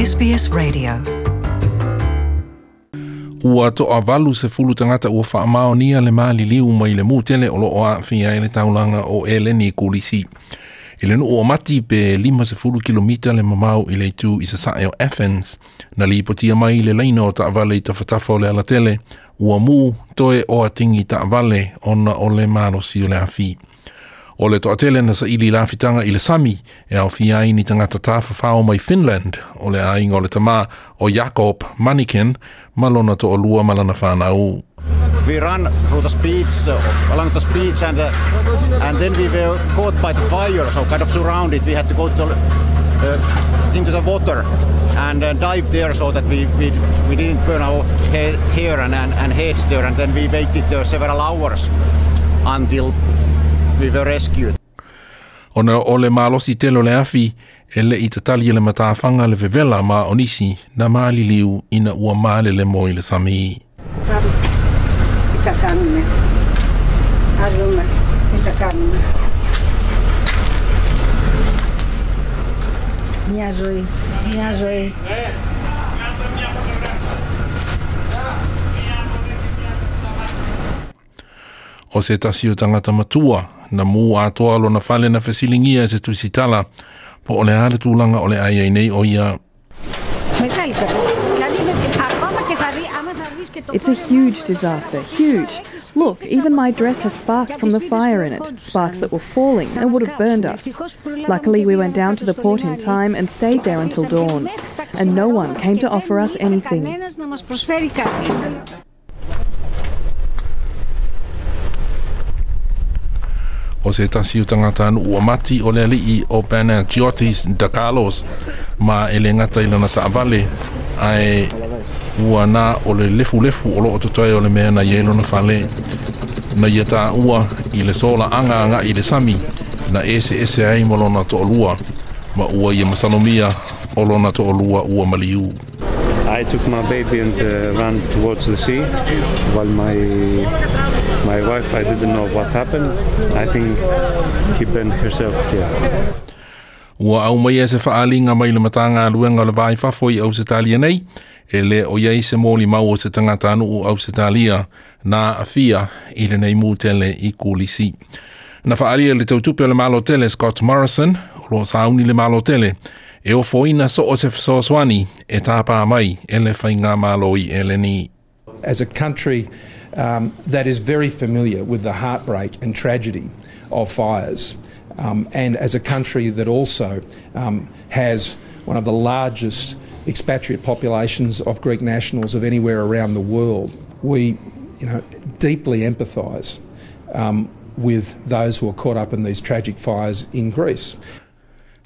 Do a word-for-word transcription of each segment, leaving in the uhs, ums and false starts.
S B S Radio. Ua toavalu sefulu tagata ua faamaonia le maliliu mai le mu tele o loo aafia ai le taulaga o Eleni Kulisi. I le nuu o Mati pe lima sefulu kilomita le mamao i le itu i sasae o Athens, na lipotia mai le laina o taavale i tafatafa o le alatele, ua mu toe o atigi taavale ona o le malosi o le afi. O le toatele na saili lafitaga i le sami e aofia ai ni tagata tafafao mai Finland, o le aiga o le tamā o Jakob Maniken ma lona toalua ma lana fanau. We run through the speeds, uh, along the speeds, and uh, and then we were caught by the fire, so kind of surrounded. We had to go to the, uh, into the water and uh, dive there so that we, we, we didn't burn our he- hair and, and, and heads there. And then we waited there several hours until we were rescued. Ona o le malosi tele o le afi e le i tatali e le matafaga le vevela ma o nisi na maliliu ina ua malele mo i le sami. Τι θα κάνουμε. Ας δούμε τι θα κάνουμε. Μια ζωή, μια ζωή. O se tasi o tagata matua na mu atoa lona fale na fesiligia e se tusitala po o le a le tulaga o le ai ai nei o ia. Μεγάλη κατάσταση. Δηλαδή με, ακόμα και θα δει, άμα θα δεις και το It's a huge disaster, huge. Look, even my dress has sparks from the fire in it, sparks that were falling and would have burned us. Luckily, we went down to the port in time and stayed there until dawn. And no one came to offer us anything. Κανένας να μας προσφέρει κάτι. O se tasi o tagata ua mati o le alii o Panagiotis Dakalos ma e le gata i lana taavale ae ua na o le lefulefu o loo totoe o le mea na iai lona fale na ia taua i le solaaga agai i le sami na eseese ai ma lona toalua ma ua ia masalomia o lona toalua ua maliu. I took my baby and uh, ran towards the sea, while my my wife, I didn't know what happened. I think he burned herself here. Ua aumaia se faaaliga mai le Matagaluega o le Va i Fafo i Ausetalia nei, e le o iai se molimau o se tagatanuu Ausetalia na aafia i lenei mu tele i Kulisi. Na faaalia le tautupe o le Malo tele Scott Morrison, o loo sauni le Malo tele, e ofoina so o se fesoasoani e tāpā mai e le faigamalo i Eleni. As a country um, that is very familiar with the heartbreak and tragedy of fires, um, and as a country that also um, has one of the largest expatriate populations of Greek nationals of anywhere around the world, we you know, deeply empathise um, with those who are caught up in these tragic fires in Greece.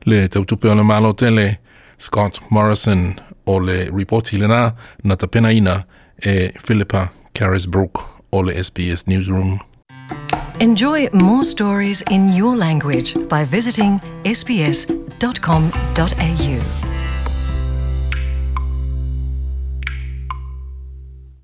Le tautupe o le Malo tele Scott Morrison o le ripoti lena na tapenaina e Philippa Carisbrook o le S B S Newsroom. Enjoy more stories in your language by visiting S B S dot com dot A U.